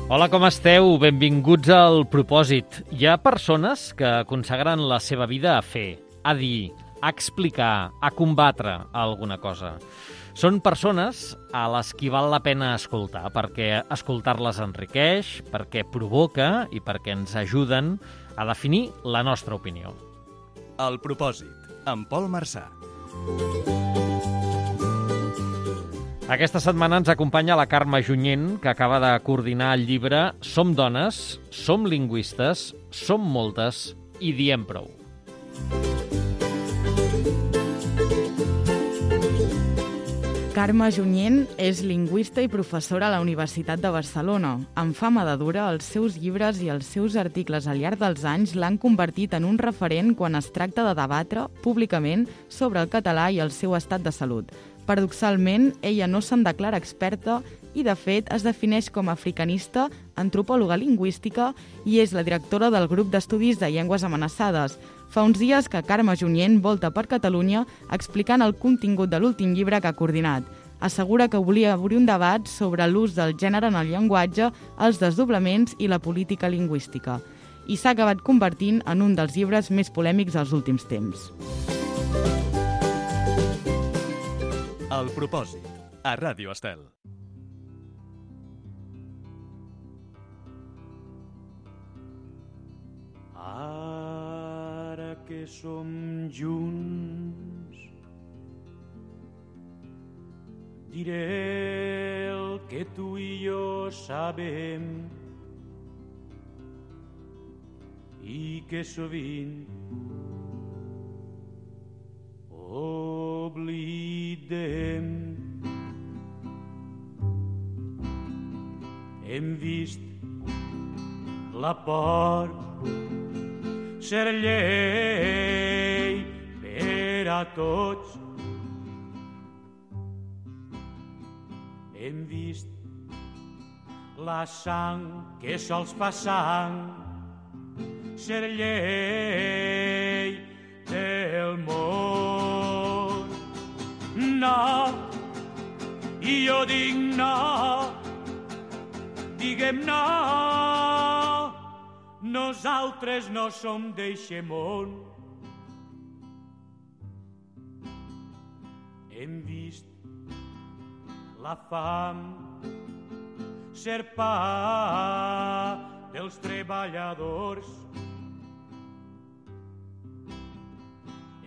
Hola, com esteu? Benvinguts al Propòsit. Hi ha persones que consagren la seva vida a fer, a dir, a explicar, a combatre alguna cosa. Són persones a les qui val la pena escoltar, perquè escoltar-les enriqueix, perquè provoca i perquè ens ajuden a definir la nostra opinió. El Propòsit, amb Pol Marçà. Aquesta setmana ens acompanya la Carme Junyent, que acaba de coordinar el llibre Som dones, som lingüistes, som moltes i diem prou. Carme Junyent és lingüista i professora a la Universitat de Barcelona. Amb fama de dura, els seus llibres i els seus articles al llarg dels anys l'han convertit en un referent quan es tracta de debatre públicament sobre el català i el seu estat de salut. Paradoxalment, ella no se'n declara experta i, de fet, es defineix com a africanista, antropòloga lingüística i és la directora del grup d'estudis de llengües amenaçades. Fa uns dies que Carme Junyent volta per Catalunya explicant el contingut de l'últim llibre que ha coordinat. Assegura que volia obrir un debat sobre l'ús del gènere en el llenguatge, els desdoblaments i la política lingüística. I s'ha acabat convertint en un dels llibres més polèmics dels últims temps. El Propòsit, a Ràdio Estel. Ara que som junts, diré el que tu i jo sabem i que sovint oblidem. Hem vist la por ser llei per a tots. Hem vist la sang que sols fa sang ser llei del món. No, i jo dic no, diguem no, nosaltres no som d'eixe món. Hem vist la fam ser pa dels treballadors.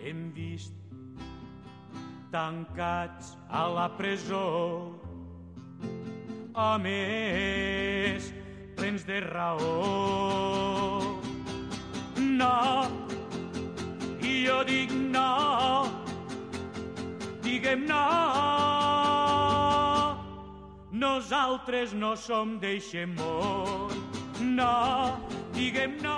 Hem vist tancats a la presó homes plens de raó. No, i jo dic no, diguem no, nosaltres no som d'eixe món. No, diguem no.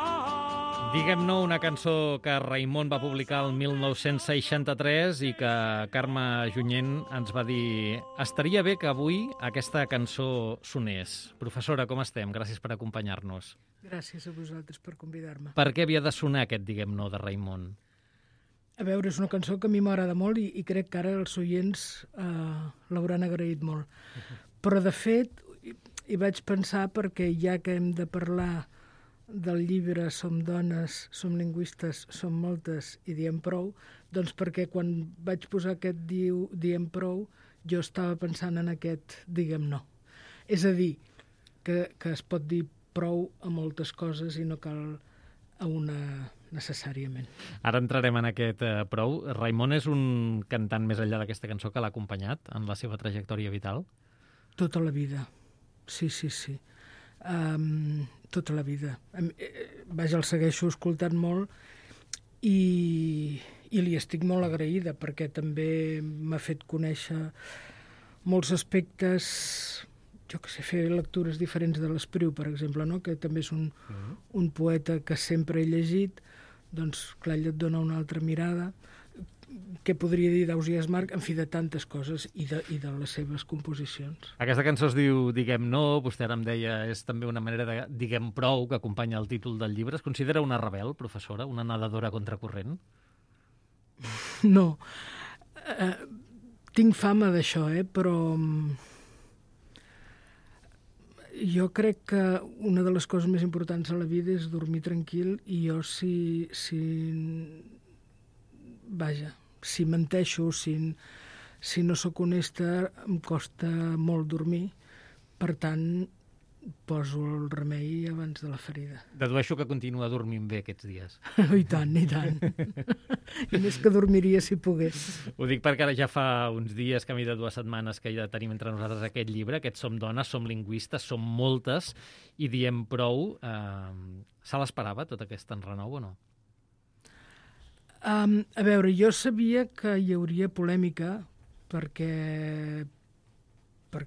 Diguem no, una cançó que Raimon va publicar el 1963 i que Carme Junyent ens va dir estaria bé que avui aquesta cançó sonés. Professora, com estem? Gràcies per acompanyar-nos. Gràcies a vosaltres per convidar-me. Per què havia de sonar aquest Diguem no de Raimon? A veure, és una cançó que a mi m'agrada molt i crec que ara els oients l'hauran agraït molt. Però, de fet, hi vaig pensar perquè ja que hem de parlar del llibre Som dones, som lingüistes, som moltes i diem prou, doncs perquè quan vaig posar aquest diem prou, jo estava pensant en aquest diguem no. És a dir, que es pot dir prou a moltes coses i no cal a una necessàriament. Ara entrarem en aquest prou. Raimon és un cantant més enllà d'aquesta cançó que l'ha acompanyat en la seva trajectòria vital? Tota la vida, sí. Tota la vida. Vaja, el segueixo escoltant molt i li estic molt agraïda perquè també m'ha fet conèixer molts aspectes, jo que sé, fer lectures diferents de l'Espriu, per exemple, no? Que també és un poeta que sempre he llegit, doncs clar, ell et dona una altra mirada. Què podria dir d'Ausiàs Marc? En fi, de tantes coses i de les seves composicions. Aquesta cançó es diu Diguem no, vostè ara em deia, és també una manera de diguem prou, que acompanya el títol del llibre. Es considera una rebel, professora, una nedadora contracorrent? No. Tinc fama d'això, però Jo crec que una de les coses més importants a la vida és dormir tranquil, i jo si menteixo, si no sóc honesta, em costa molt dormir. Per tant, poso el remei abans de la ferida. Dedueixo que continua dormint bé aquests dies. I tant, i tant. I més que dormiria si pogués. Ho dic perquè ara ja fa uns dies, camí de 2 setmanes, que ja tenim entre nosaltres aquest llibre, aquest Som dones, som lingüistes, som moltes, i diem prou. Se l'esperava, tot aquest enrenou, o no? A veure, jo sabia que hi hauria polèmica perquè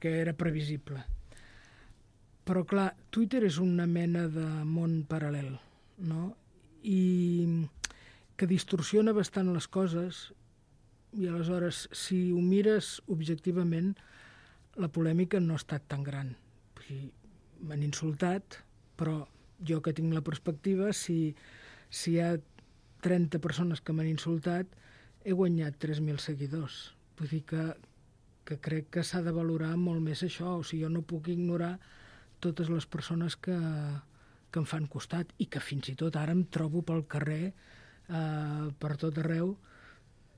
era previsible. Però, clar, Twitter és una mena de món paral·lel, no? I que distorsiona bastant les coses, i aleshores, si ho mires objectivament, la polèmica no ha estat tan gran. M'han insultat, però jo que tinc la perspectiva, si hi ha 30 persones que m'han insultat, he guanyat 3.000 seguidors. Vull dir que crec que s'ha de valorar molt més això. O sigui, jo no puc ignorar totes les persones que em fan costat, i que fins i tot ara em trobo pel carrer per tot arreu,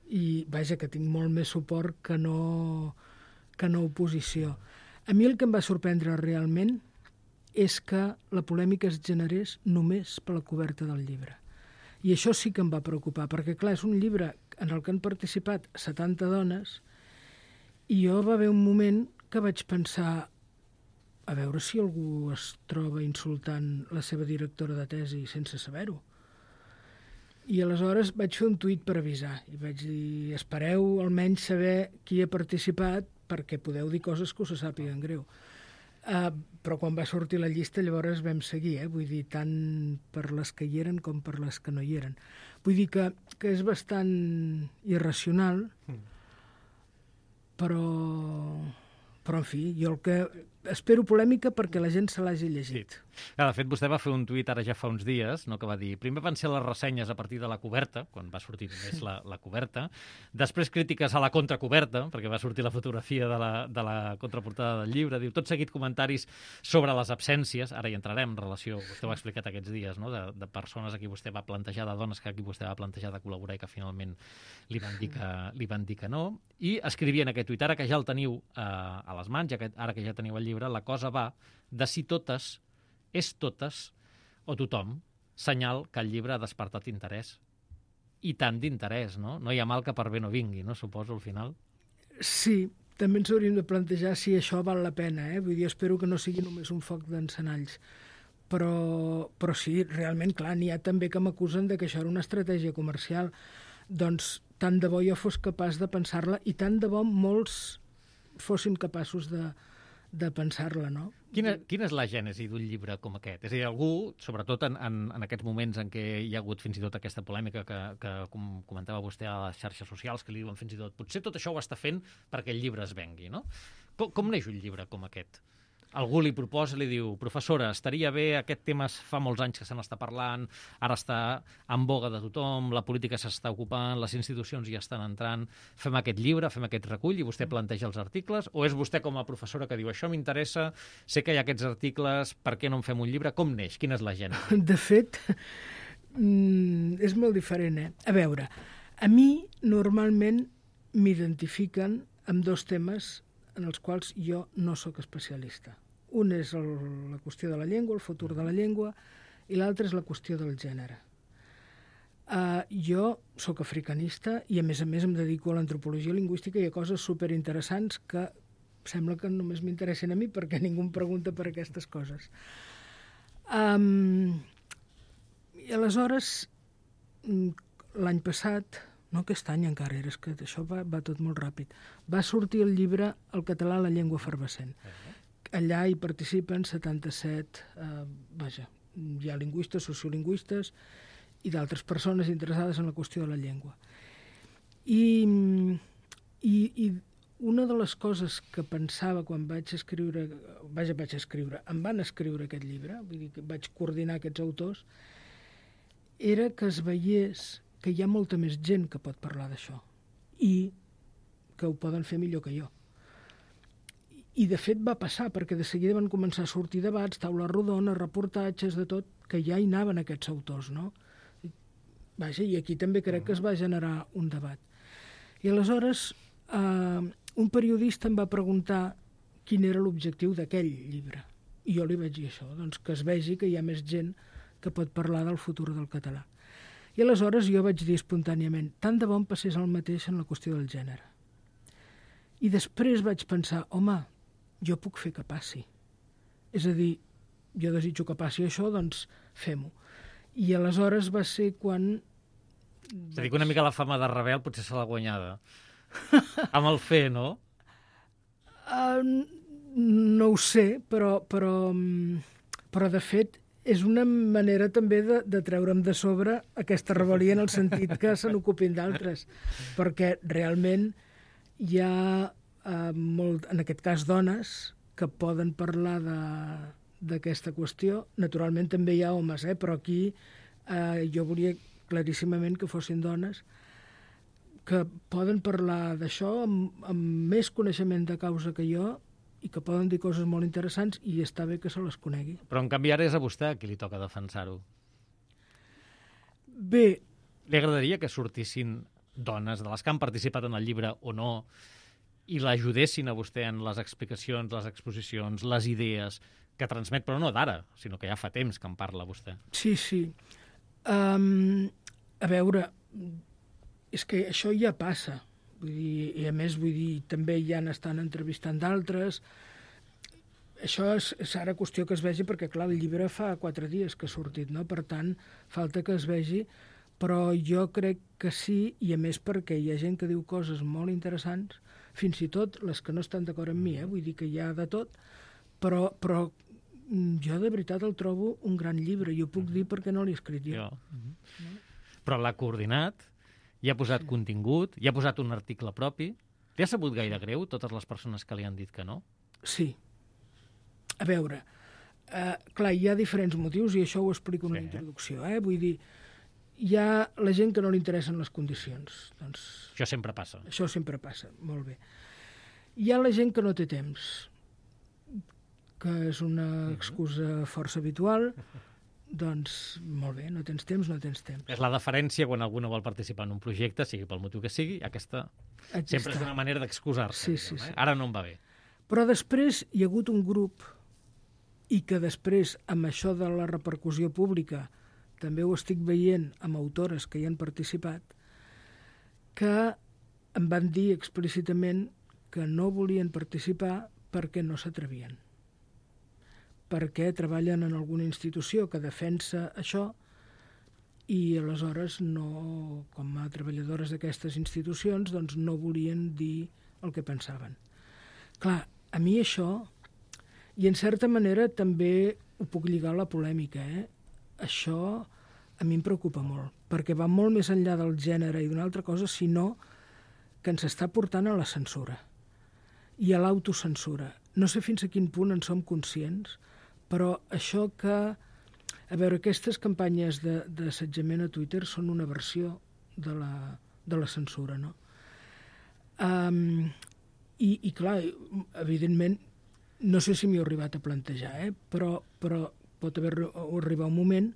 i vaja, que tinc molt més suport que no oposició. A mi el que em va sorprendre realment és que la polèmica es generés només per la coberta del llibre. I això sí que em va preocupar, perquè clar, és un llibre en el que han participat 70 dones, i jo va haver un moment que vaig pensar, a veure si algú es troba insultant la seva directora de tesi sense saber-ho. I aleshores vaig fer un tuit per avisar, i vaig dir, espereu almenys saber qui ha participat, perquè podeu dir coses que us sàpiguen greu. Però quan va sortir la llista llavors vam seguir, vull dir, tant per les que hi eren com per les que no hi eren. Vull dir que és bastant irracional, però en fi, jo el que espero polèmica perquè la gent se l'hagi llegit. De fet, vostè va fer un tuit ara ja fa uns dies, no, que va dir, primer van ser les ressenyes a partir de la coberta, quan va sortir només la coberta, després crítiques a la contracoberta, perquè va sortir la fotografia de la contraportada del llibre, diu, tot seguit comentaris sobre les absències, ara hi entrarem en relació, vostè ho ha explicat aquests dies, no, de persones a qui vostè va plantejar, de dones que a qui vostè va plantejar de col·laborar i que finalment li van dir que no, i escrivia en aquest tuit, ara que ja el teniu a les mans, ara que ja teniu el llibre, la cosa va de si totes, és totes o tothom, senyal que el llibre ha despertat interès. I tant d'interès, no? No hi ha mal que per bé no vingui, no? Suposo, al final. Sí, també ens hauríem de plantejar si això val la pena, Vull dir, espero que no sigui només un foc d'encenalls. Però sí, realment, clar, n'hi ha també que m'acusen de que això era una estratègia comercial. Doncs tant de bo jo fos capaç de pensar-la, i tant de bo molts fossin capaços de pensar-la, no? Quina és la gènesi d'un llibre com aquest? És a dir, algú, sobretot en aquests moments en què hi ha hagut fins i tot aquesta polèmica que comentava vostè a les xarxes socials, que li diuen fins i tot, potser tot això ho està fent perquè el llibre es vengui, no? Com neix un llibre com aquest? Algú li proposa, li diu, professora, estaria bé, aquest tema fa molts anys que se n'està parlant, ara està en boga de tothom, la política s'està ocupant, les institucions hi estan entrant, fem aquest llibre, fem aquest recull i vostè planteja els articles, o és vostè com a professora que diu, això m'interessa, sé que hi ha aquests articles, per què no en fem un llibre? Com neix? Quina és la gènesi? De fet, és molt diferent, A veure, a mi normalment m'identifiquen amb dos temes en els quals jo no sóc especialista. Un és la qüestió de la llengua, el futur de la llengua, i l'altre és la qüestió del gènere. Jo sóc africanista i, a més em dedico a l'antropologia lingüística i a coses superinteressants que sembla que només m'interessen a mi perquè ningú em pregunta per aquestes coses. I aleshores, l'any passat, no aquest any encara, és que això va tot molt ràpid, va sortir el llibre El català, la llengua efervescent. Allà hi participen 77, hi ha lingüistes, sociolingüistes i d'altres persones interessades en la qüestió de la llengua. I una de les coses que pensava quan vaig escriure, em van escriure aquest llibre, vull dir que vaig coordinar aquests autors, era que es veiés que hi ha molta més gent que pot parlar d'això i que ho poden fer millor que jo. I de fet va passar, perquè de seguida van començar a sortir debats, taules rodones, reportatges, de tot, que ja hi anaven aquests autors, no? Vaja, i aquí també crec que es va generar un debat. I aleshores un periodista em va preguntar quin era l'objectiu d'aquell llibre. I jo li vaig dir això, doncs que es vegi que hi ha més gent que pot parlar del futur del català. I aleshores jo vaig dir espontàniament, tant de bon passés el mateix en la qüestió del gènere. I després vaig pensar, home, jo puc fer que passi. És a dir, jo desitjo que passi això, doncs fem-ho. I aleshores va ser quan... És a dir, que una mica la fama de rebel potser se l'ha guanyada. Amb el fer, no? No ho sé, però de fet és una manera també de treure'm de sobre aquesta rebel·lia en el sentit que se n'ocupin d'altres, perquè realment hi ha, en aquest cas, dones que poden parlar d'aquesta qüestió. Naturalment també hi ha homes, però aquí jo volia claríssimament que fossin dones que poden parlar d'això amb més coneixement de causa que jo i que poden dir coses molt interessants i està bé que se les conegui. Però en canvi ara és a vostè a qui li toca defensar-ho. Bé. Li agradaria que sortissin dones de les que han participat en el llibre o no i l'ajudessin a vostè en les explicacions, les exposicions, les idees que transmet, però no d'ara, sinó que ja fa temps que en parla vostè. Sí, sí. A veure, és que això ja passa. Vull dir, i a més, també ja n'estan entrevistant d'altres. Això és ara qüestió que es vegi, perquè, clar, el llibre fa 4 dies que ha sortit, no? Per tant, falta que es vegi, però jo crec que sí, i a més perquè hi ha gent que diu coses molt interessants, fins i tot les que no estan d'acord amb mi, vull dir que hi ha de tot, però jo de veritat el trobo un gran llibre, i ho puc dir perquè no l'he escrit jo. No? Però l'ha coordinat, hi ha posat contingut, hi ha posat un article propi. Li ha sabut gaire greu totes les persones que li han dit que no? Sí. A veure, clar, hi ha diferents motius i això ho explico en la introducció. Vull dir, hi ha la gent que no li interessen les condicions. Doncs, això sempre passa. Això sempre passa, molt bé. Hi ha la gent que no té temps, que és una excusa força habitual. Doncs, molt bé, no tens temps, no tens temps. És la deferència quan algú no vol participar en un projecte, sigui pel motiu que sigui, aquesta sempre és una manera d'excusar-se. Sí. Ara no em va bé. Però després hi ha hagut un grup, i que després, amb això de la repercussió pública, també ho estic veient amb autores que hi han participat, que em van dir explícitament que no volien participar perquè no s'atrevien, perquè treballen en alguna institució que defensa això i aleshores no, com a treballadores d'aquestes institucions, doncs no volien dir el que pensaven. Clar, a mi això, i en certa manera també ho puc lligar a la polèmica, això a mi em preocupa molt, perquè va molt més enllà del gènere i d'una altra cosa, sinó que ens està portant a la censura i a l'autocensura. No sé fins a quin punt en som conscients, però això que... A veure, aquestes campanyes d'assetjament a Twitter són una versió de la censura, no? I clar, evidentment, no sé si m'hi he arribat a plantejar, però pot arribar un moment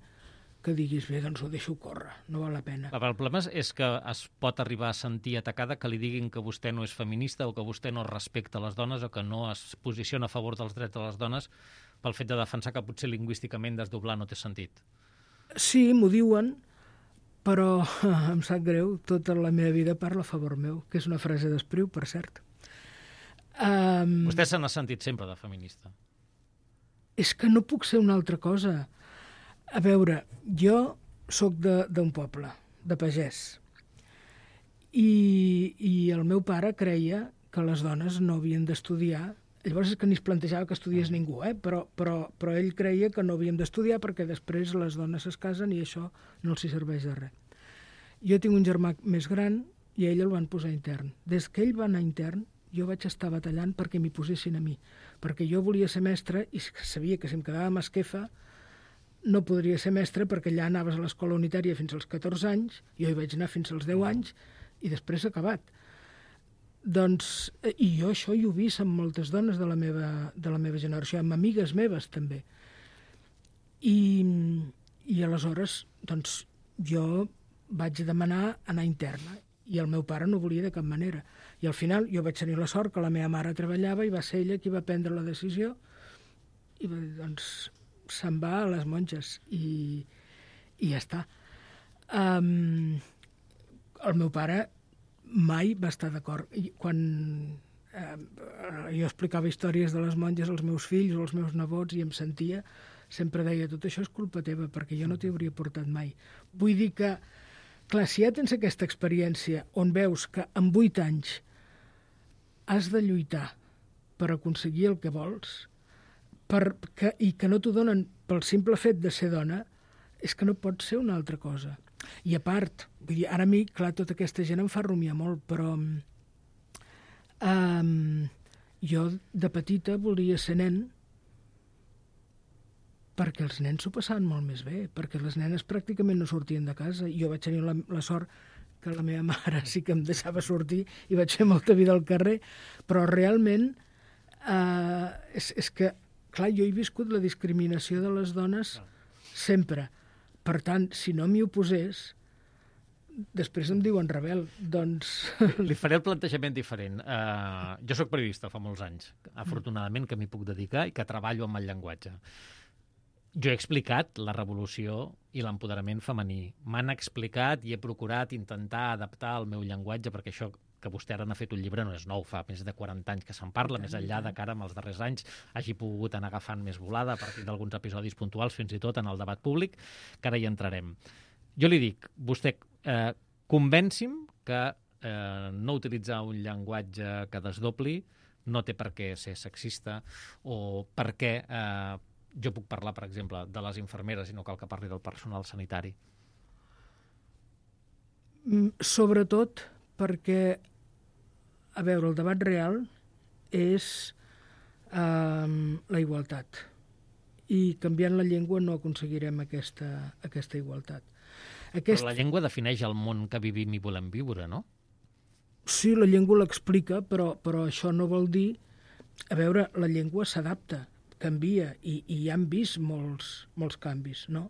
que diguis, bé, doncs ho deixo córrer, no val la pena. El problema és que es pot arribar a sentir atacada que li diguin que vostè no és feminista o que vostè no respecta les dones o que no es posiciona a favor dels drets de les dones pel fet de defensar que potser lingüísticament desdoblar no té sentit. Sí, m'ho diuen, però em sap greu, tota la meva vida parla a favor meu, que és una frase d'Espriu, per cert. Vostè se n'ha sentit sempre de feminista. És que no puc ser una altra cosa. A veure, jo sóc d'un poble, de pagès, i el meu pare creia que les dones no havien d'estudiar. Llavors és que ni es plantejava que estudiés ningú, però ell creia que no havíem d'estudiar perquè després les dones es casen i això no els serveix de res. Jo tinc un germà més gran i a ell el van posar intern. Des que ell va anar intern, jo vaig estar batallant perquè m'hi posessin a mi, perquè jo volia ser mestre i sabia que si em quedava a Masquefa no podria ser mestre perquè allà anaves a l'escola unitària fins als 14 anys, jo hi vaig anar fins als 10 anys i després s'ha acabat. Doncs, i jo això ho he vist amb moltes dones de la meva generació, amb amigues meves també. I aleshores, doncs, jo vaig demanar anar interna i el meu pare no volia de cap manera. I al final jo vaig tenir la sort que la meva mare treballava i va ser ella qui va prendre la decisió i va dir, doncs, se'n va a les monges i ja està. El meu pare mai va estar d'acord. Quan jo explicava històries de les monges als meus fills o als meus nebots i em sentia, sempre deia, tot això és culpa teva, perquè jo no t'hi hauria portat mai. Vull dir que, clar, si ja tens aquesta experiència on veus que en 8 anys has de lluitar per aconseguir el que vols i que no t'ho donen pel simple fet de ser dona, és que no pot ser una altra cosa. I a part, vull dir, ara a mi, clar, tota aquesta gent em fa rumiar molt, però jo de petita volia ser nen perquè els nens s'ho passaven molt més bé, perquè les nenes pràcticament no sortien de casa. Jo vaig tenir la sort que la meva mare sí que em deixava sortir i vaig fer molta vida al carrer, però realment és que, clar, jo he viscut la discriminació de les dones sempre. Per tant, si no m'hi oposés, després em diuen rebel, doncs... Li faré el plantejament diferent. Jo sóc periodista fa molts anys, afortunadament que m'hi puc dedicar i que treballo amb el llenguatge. Jo he explicat la revolució i l'empoderament femení. M'han explicat i he procurat intentar adaptar el meu llenguatge, perquè això que vostè ara n'ha fet un llibre no és nou, fa més de 40 anys que se'n parla, més enllà de que ara, en els darrers anys, hagi pogut anar agafant més volada a partir d'alguns episodis puntuals, fins i tot en el debat públic, que ara hi entrarem. Jo li dic, vostè, convenci'm que no utilitzar un llenguatge que desdobli no té per què ser sexista, o per què jo puc parlar, per exemple, de les infermeres i no cal que parli del personal sanitari. Sobretot perquè, a veure, el debat real és la igualtat. I canviant la llengua no aconseguirem aquesta igualtat. Però la llengua defineix el món que vivim i volem viure, no? Sí, la llengua l'explica, però això no vol dir... A veure, la llengua s'adapta, canvia, i ja hem vist molts canvis, no?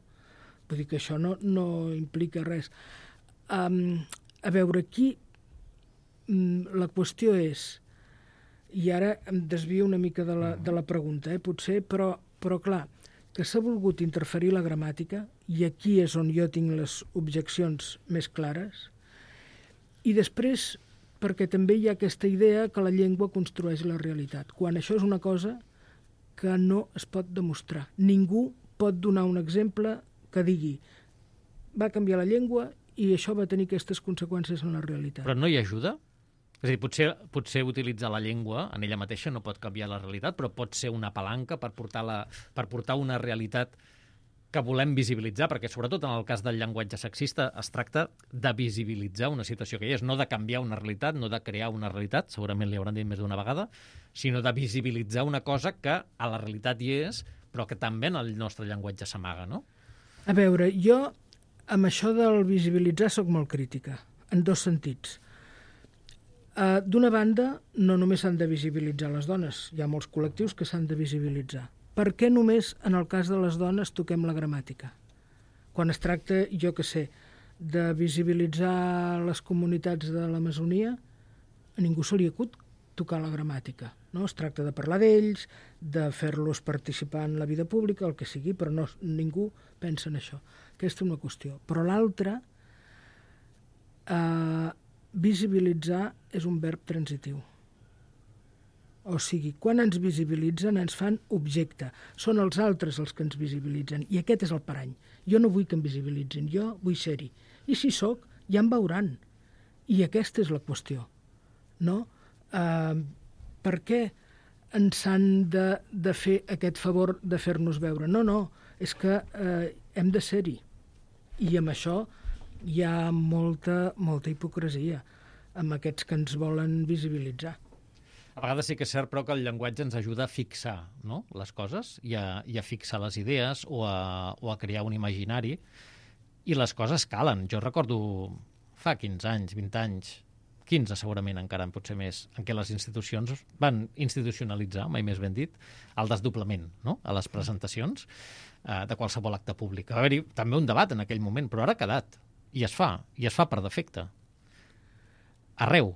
Vull dir que això no implica res. A veure, aquí la qüestió és, i ara em desvio una mica de la pregunta, potser, però clar, que s'ha volgut interferir la gramàtica, i aquí és on jo tinc les objeccions més clares, i després perquè també hi ha aquesta idea que la llengua construeix la realitat, quan això és una cosa que no es pot demostrar. Ningú pot donar un exemple que digui va canviar la llengua i això va tenir aquestes conseqüències en la realitat. Però no hi ajuda? És a dir, potser utilitzar la llengua en ella mateixa no pot canviar la realitat, però pot ser una palanca per portar una realitat que volem visibilitzar, perquè sobretot en el cas del llenguatge sexista es tracta de visibilitzar una situació que hi és, no de canviar una realitat, no de crear una realitat, segurament li hauran dit més d'una vegada, sinó de visibilitzar una cosa que a la realitat hi és, però que també en el nostre llenguatge s'amaga, no? A veure, jo amb això del visibilitzar sóc molt crítica, en dos sentits. D'una banda, no només s'han de visibilitzar les dones, hi ha molts col·lectius que s'han de visibilitzar. Per què només en el cas de les dones toquem la gramàtica? Quan es tracta, jo què sé, de visibilitzar les comunitats de l'Amazonia, a ningú se li acut tocar la gramàtica. No? Es tracta de parlar d'ells, de fer-los participar en la vida pública, el que sigui, però ningú pensa en això. Aquesta és una qüestió. Però l'altra, visibilitzar és un verb transitiu. O sigui, quan ens visibilitzen ens fan objecte. Són els altres els que ens visibilitzen. I aquest és el parany. Jo no vull que em visibilitzin, jo vull ser-hi. I si sóc, ja em veuran. I aquesta és la qüestió. No? Per què ens han de fer aquest favor de fer-nos veure? No, és que hem de ser-hi. I amb això hi ha molta hipocresia amb aquests que ens volen visibilitzar. A vegades sí que és cert, però, que el llenguatge ens ajuda a fixar, no?, les coses i a fixar les idees o a crear un imaginari, i les coses calen. Jo recordo fa 15 anys, 20 anys, 15 segurament encara potser més, en què les institucions van institucionalitzar, mai més ben dit, el desdoblament, no?, a les presentacions de qualsevol acte públic. Va haver-hi també un debat en aquell moment, però ara ha quedat, i es fa per defecte. Arreu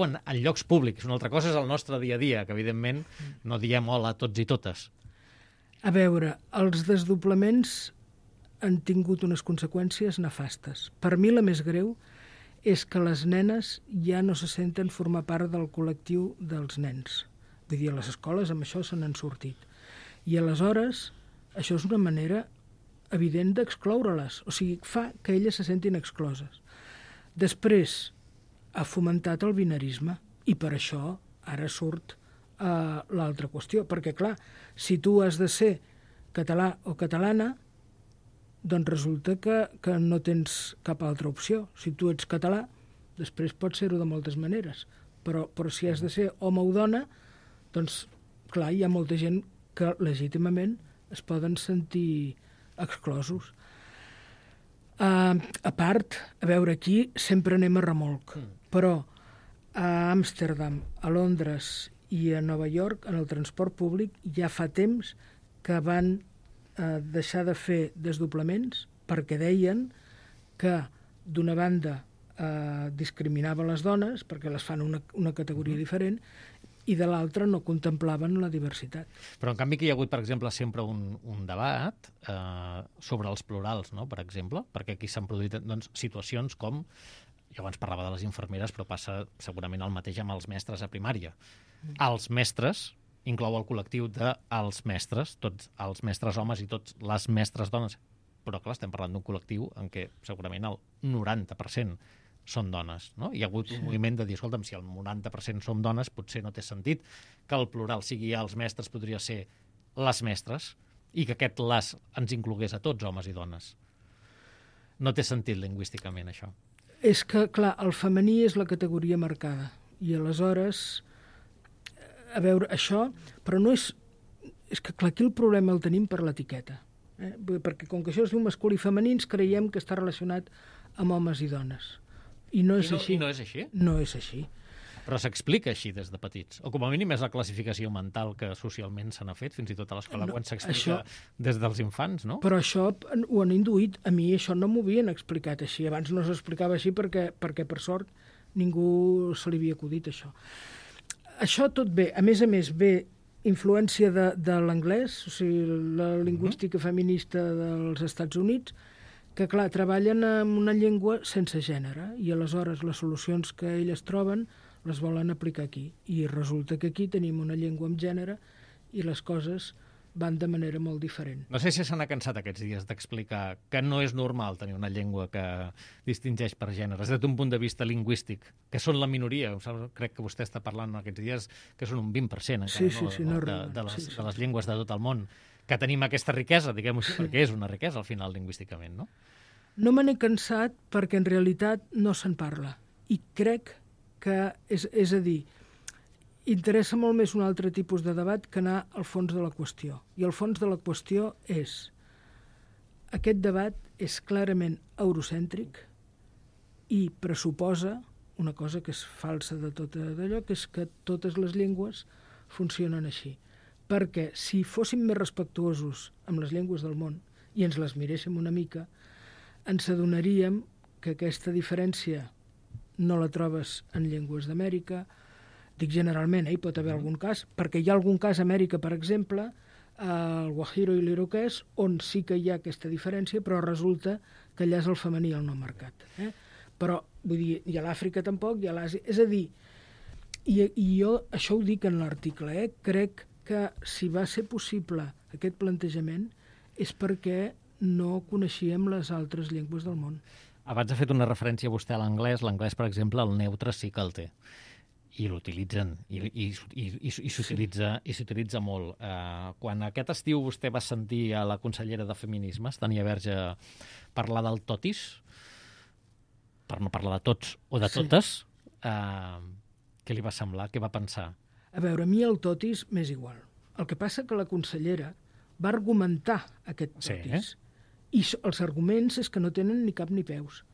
en llocs públics. Una altra cosa és el nostre dia a dia, que evidentment no diem hola a tots i totes. A veure, els desdoblaments han tingut unes conseqüències nefastes. Per mi la més greu és que les nenes ja no se senten formar part del col·lectiu dels nens. Vull dir, a les escoles amb això se n'han sortit. I aleshores, això és una manera evident d'excloure-les. O sigui, fa que elles se sentin excloses. Després, ha fomentat el binarisme i per això ara surt l'altra qüestió. Perquè, clar, si tu has de ser català o catalana, doncs resulta que no tens cap altra opció. Si tu ets català, després pots ser-ho de moltes maneres. Però si has de ser home o dona, doncs, clar, hi ha molta gent que legítimament es poden sentir exclosos. A part, a veure, aquí sempre anem a remolc, però a Amsterdam, a Londres i a Nova York, en el transport públic, ja fa temps que van deixar de fer desdoblaments perquè deien que, d'una banda, discriminava les dones, perquè les fan una categoria diferent, i de l'altra no contemplaven la diversitat. Però en canvi que hi ha hagut, per exemple, sempre un debat sobre els plurals, no?, per exemple, perquè aquí s'han produït situacions com, jo abans parlava de les infermeres, però passa segurament el mateix amb els mestres a primària. Els mestres inclou el col·lectiu dels mestres, tots els mestres homes i tots les mestres dones, però clar, estem parlant d'un col·lectiu en què segurament el 90% són dones, no? Hi ha hagut un moviment de dir, escolta'm, si el 90% som dones, potser no té sentit que el plural sigui els mestres, podria ser les mestres, i que aquest les ens inclogués a tots, homes i dones. No té sentit lingüísticament, això. És que, clar, el femení és la categoria marcada, i aleshores, a veure, això, però no és... És que, clar, aquí el problema el tenim per l'etiqueta, perquè com que això es diu masculí i femení, ens creiem que està relacionat amb homes i dones. I no és així. I no és així? No és així. Però s'explica així des de petits. O com a mínim és la classificació mental que socialment se n'ha fet, fins i tot a l'escola, quan s'explica des dels infants, no? Però això ho han induït. A mi això no m'ho havien explicat així. Abans no s'explicava així perquè, per sort, ningú se li havia acudit això. Això tot bé. A més, ve influència de l'anglès, o sigui, la lingüística feminista dels Estats Units, que, clar, treballen amb una llengua sense gènere i aleshores les solucions que elles troben les volen aplicar aquí. I resulta que aquí tenim una llengua amb gènere i les coses van de manera molt diferent. No sé si se n'ha cansat aquests dies d'explicar que no és normal tenir una llengua que distingeix per gèneres, des d'un punt de vista lingüístic, que són la minoria. Crec que vostè està parlant aquests dies que són un 20% encara, de les llengües de tot el món, que tenim aquesta riquesa, diguem-ho així, perquè és una riquesa al final lingüísticament, no? No me n'he cansat perquè en realitat no se'n parla. I crec que, és a dir, interessa molt més un altre tipus de debat que anar al fons de la qüestió. I el fons de la qüestió és: aquest debat és clarament eurocèntric i pressuposa una cosa que és falsa de tot d'allò, que és que totes les llengües funcionen així. Perquè si fóssim més respectuosos amb les llengües del món i ens les miréssim una mica, ens adonaríem que aquesta diferència no la trobes en llengües d'Amèrica. Dic generalment, hi pot haver algun cas, perquè hi ha algun cas a Amèrica, per exemple, el guajiro i l'iroquès, on sí que hi ha aquesta diferència, però resulta que allà és el femení el no marcat. Però, vull dir, i a l'Àfrica tampoc, i a l'Àsia. És a dir, i jo això ho dic en l'article, crec que si va ser possible aquest plantejament és perquè no coneixíem les altres llengües del món. Abans ha fet una referència vostè a l'anglès. L'anglès, per exemple, el neutre sí que el té. I l'utilitzen, i s'utilitza molt. Quan aquest estiu vostè va sentir a la consellera de Feminismes, Tania Verge, parlar del totis, per no parlar de tots o de totes, què li va semblar? Què va pensar? A veure, a mi el totis m'és igual. El que passa que la consellera va argumentar aquest totis. I els arguments és que no tenen ni cap ni peus.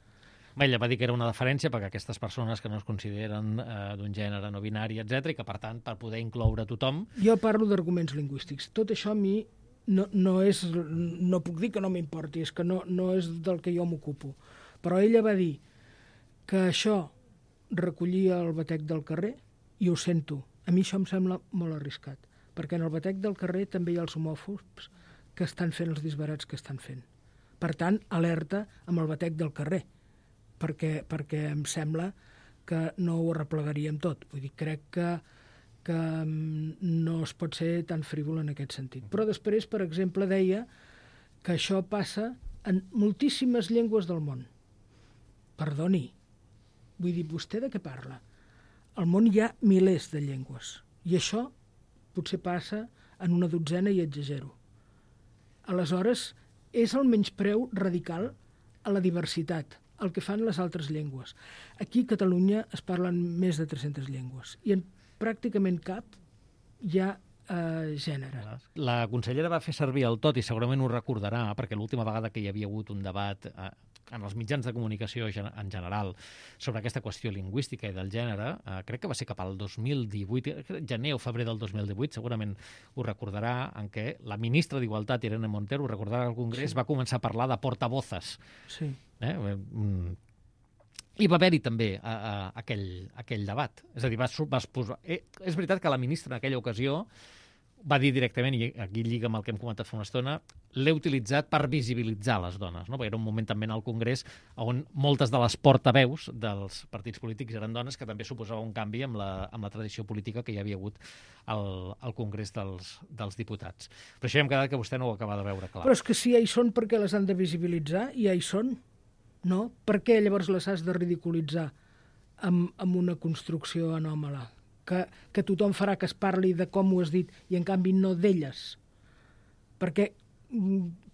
Ella va dir que era una deferència perquè aquestes persones que no es consideren d'un gènere no binari, etc, i que, per tant, per poder incloure tothom... Jo parlo d'arguments lingüístics. Tot això a mi no puc dir que no m'importi, és que no és del que jo m'ocupo. Però ella va dir que això recollia el batec del carrer, i ho sento. A mi això em sembla molt arriscat, perquè en el batec del carrer també hi ha els homòfobs que estan fent els disbarats que estan fent. Per tant, alerta amb el batec del carrer, perquè em sembla que no ho arreplegaríem tot. Vull dir, crec que no es pot ser tan frívol en aquest sentit. Però després, per exemple, deia que això passa en moltíssimes llengües del món. Perdoni, vull dir, vostè de què parla? Al món hi ha milers de llengües, i això potser passa en una dotzena i exagero. Aleshores, és el menyspreu radical a la diversitat, el que fan les altres llengües. Aquí a Catalunya es parlen més de 300 llengües, i en pràcticament cap hi ha gènere. La consellera va fer servir el tot, i segurament ho recordarà, perquè l'última vegada que hi havia hagut un debat en els mitjans de comunicació en general sobre aquesta qüestió lingüística i del gènere, crec que va ser cap al 2018, gener o febrer del 2018, segurament ho recordarà, en què la ministra d'Igualtat, Irene Montero, ho recordarà al Congrés, va començar a parlar de portavozes. Sí. I va haver-hi també aquell debat. És a dir, és veritat que la ministra en aquella ocasió va dir directament, i aquí lliga amb el que hem comentat fa una estona, l'he utilitzat per visibilitzar les dones, no? Perquè era un moment també en el Congrés on moltes de les portaveus dels partits polítics eren dones, que també suposava un canvi amb la tradició política que hi havia hagut al Congrés dels diputats. Però això ja hem quedat que vostè no ho acaba de veure clar. Però és que si ja hi són, per què les han de visibilitzar? I ja hi són, no? Per què llavors les has de ridiculitzar amb una construcció anòmala? Que tothom farà que es parli de com ho has dit i en canvi no d'elles. Perquè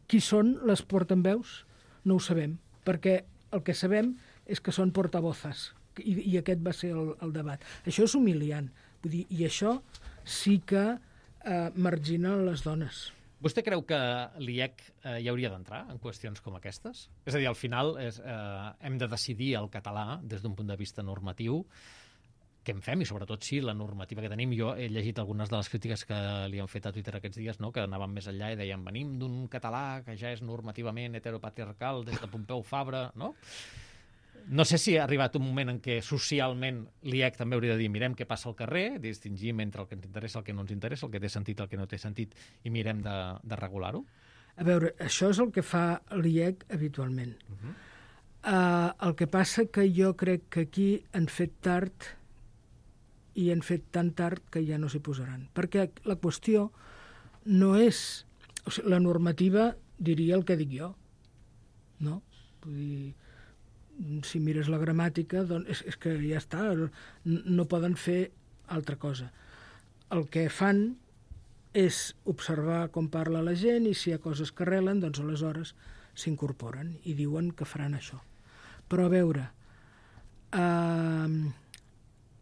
qui són les portaveus no ho sabem, perquè el que sabem és que són portavozes i aquest va ser el debat. Això és humiliant, vull dir, i això sí que margina les dones. Vostè creu que l'IEC hi hauria d'entrar en qüestions com aquestes? És a dir, al final hem de decidir el català des d'un punt de vista normatiu. Què en fem? I sobretot si la normativa que tenim, jo he llegit algunes de les crítiques que li han fet a Twitter aquests dies, no? Que anaven més enllà i deien venim d'un català que ja és normativament heteropatriarcal des de Pompeu Fabra, no? No sé si ha arribat un moment en què socialment l'IEC també hauria de dir mirem què passa al carrer, distingim entre el que ens interessa i el que no ens interessa, el que té sentit i el que no té sentit, i mirem de regular-ho? A veure, això és el que fa l'IEC habitualment. El que passa que jo crec que aquí han fet tard i han fet tan tard que ja no s'hi posaran. Perquè la qüestió no és... O sigui, la normativa diria el que dic jo, no? Vull dir, si mires la gramàtica, doncs és que ja està, no poden fer altra cosa. El que fan és observar com parla la gent i si hi ha coses que arrelen, doncs aleshores s'incorporen i diuen que faran això. Però a veure...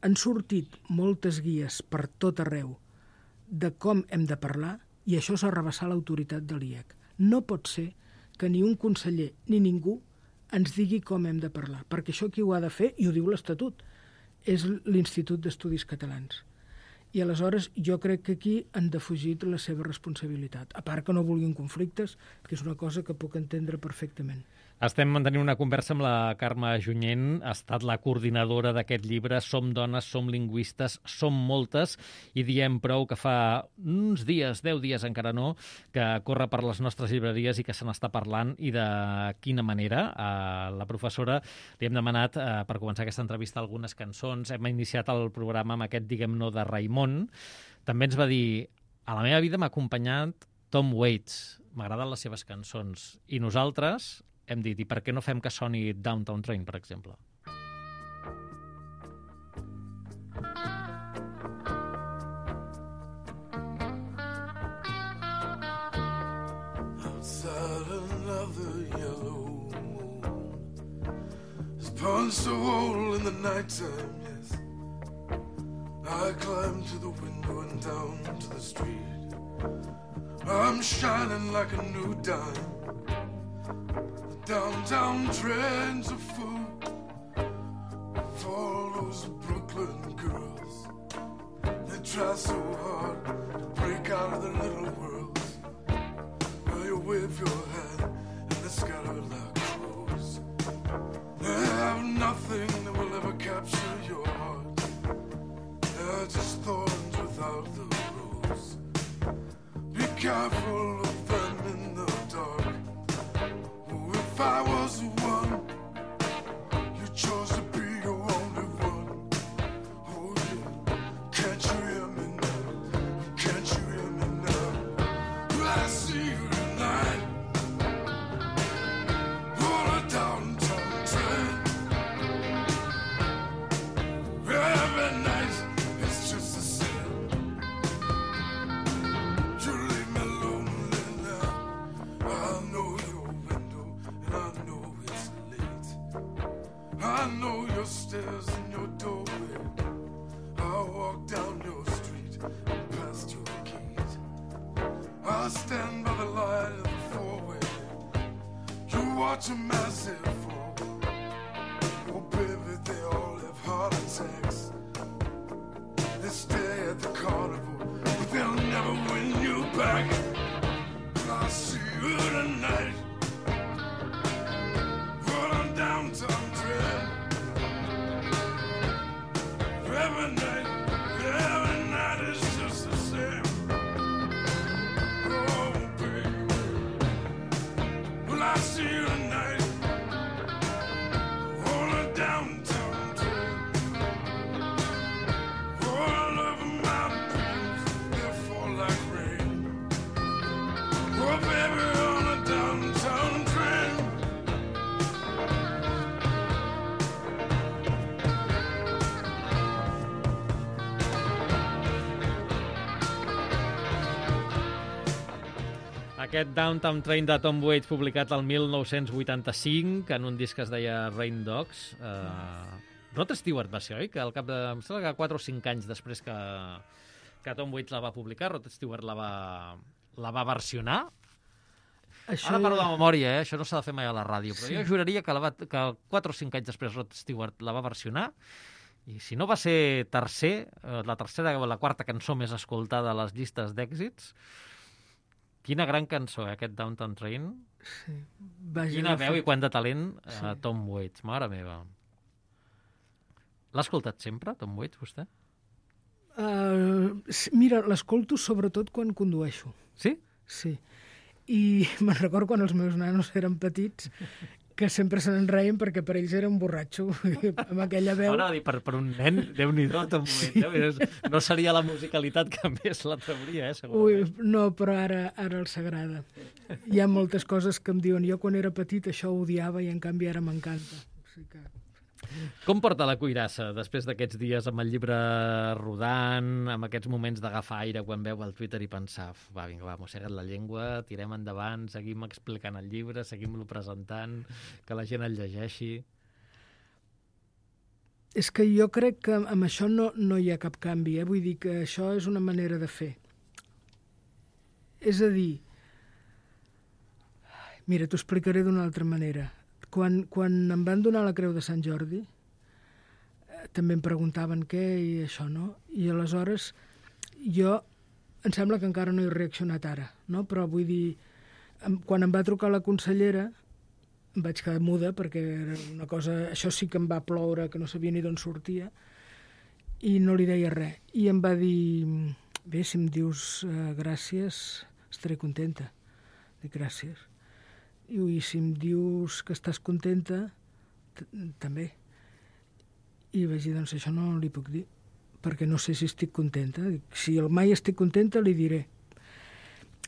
han sortit moltes guies per tot arreu de com hem de parlar i això és arrabassar l'autoritat de l'IEC. No pot ser que ni un conseller ni ningú ens digui com hem de parlar, perquè això qui ho ha de fer, i ho diu l'Estatut, és l'Institut d'Estudis Catalans. I aleshores jo crec que aquí han defugit la seva responsabilitat. A part que no vulguin conflictes, que és una cosa que puc entendre perfectament. Estem mantenint una conversa amb la Carme Junyent, ha estat la coordinadora d'aquest llibre Som dones, som lingüistes, som moltes, i diem prou que fa uns dies, 10 dies encara no, que corre per les nostres llibreries i que se n'està parlant, i de quina manera. A la professora li hem demanat, per començar aquesta entrevista, algunes cançons. Hem iniciat el programa amb aquest Diguem no de Raimon. També ens va dir, a la meva vida m'ha acompanyat Tom Waits, m'agraden les seves cançons, i nosaltres hem dit, i per què no fem que soni Downtown Train, per exemple? Outside another yellow moon has punched a hole in the nighttime, yes. I climb to the window and down to the street. I'm shining like a new dime. Downtown train's a fool. sky full of them in the dark. Oh, if I was the one you chose to be your only one. Oh yeah, can't you hear me now? Can't you hear me now? Will I see you tonight? On a downtown train. Every night it's just the same. You leave me lonely now. I know your window and I know it's late. I know your stairs and your doorway. I walk down your street and past your gate. I stand by the light of the four-way. You watch a massive fall. Oh baby, they all have heart attacks. They stay at the carnival, but they'll never win you back. But I'll see you tonight. Rolling downtown train. Every night is just the same. Oh baby, will I see you tonight? Rolling downtown train. All over my dreams, they fall like rain. Oh baby, on a downtown train. Aquest Downtown Train de Tom Waits, publicat el 1985, en un disc que es deia Rain Dogs. Rod Stewart va ser, oi? Que al cap de... Em sembla que 4 o 5 anys després que Tom Waits la va publicar, Rod Stewart la va versionar. Això... Ara parlo de memòria, això no s'ha de fer mai a la ràdio, però sí. Jo juraria que 4 o 5 anys després Rod Stewart la va versionar, i si no va ser la tercera o la quarta cançó més escoltada a les llistes d'èxits. Quina gran cançó, aquest Downtown Train. Sí. Vaja, Quina veu i quant de talent, Tom Waits, mare meva. L'ha escoltat sempre, Tom Waits, vostè? Mira, l'escolto sobretot quan condueixo. Sí? Sí. I me'n recordo quan els meus nanos eren petits, que sempre se n'enreien perquè per ells era un borratxo, amb aquella veu. Ara, per un nen, Déu-n'hi-do, Tom Waits. No seria la musicalitat que més la trauria, segurament. Ui, no, però ara els agrada. Hi ha moltes coses que em diuen, jo quan era petit això ho odiava i en canvi ara m'encanta. O sigui que... Com porta la cuirassa després d'aquests dies amb el llibre rodant, amb aquests moments d'agafar aire quan veu el Twitter i pensar va, vinga, va, mossega't la llengua, tirem endavant, seguim explicant el llibre, seguim-lo presentant, que la gent el llegeixi... És que jo crec que amb això no hi ha cap canvi, vull dir que això és una manera de fer. És a dir, mira, t'ho explicaré d'una altra manera. Quan em van donar la Creu de Sant Jordi, també em preguntaven què i això, no? I aleshores jo, em sembla que encara no he reaccionat ara, no? Però vull dir, quan em va trucar la consellera, em vaig quedar muda perquè era una cosa... Això sí que em va ploure, que no sabia ni d'on sortia, i no li deia res. I em va dir, bé, si em dius gràcies, estaré contenta. Dic, gràcies. I si em dius que estàs contenta, també. I vaig dir, doncs això no li puc dir, perquè no sé si estic contenta. Si mai estic contenta, li diré.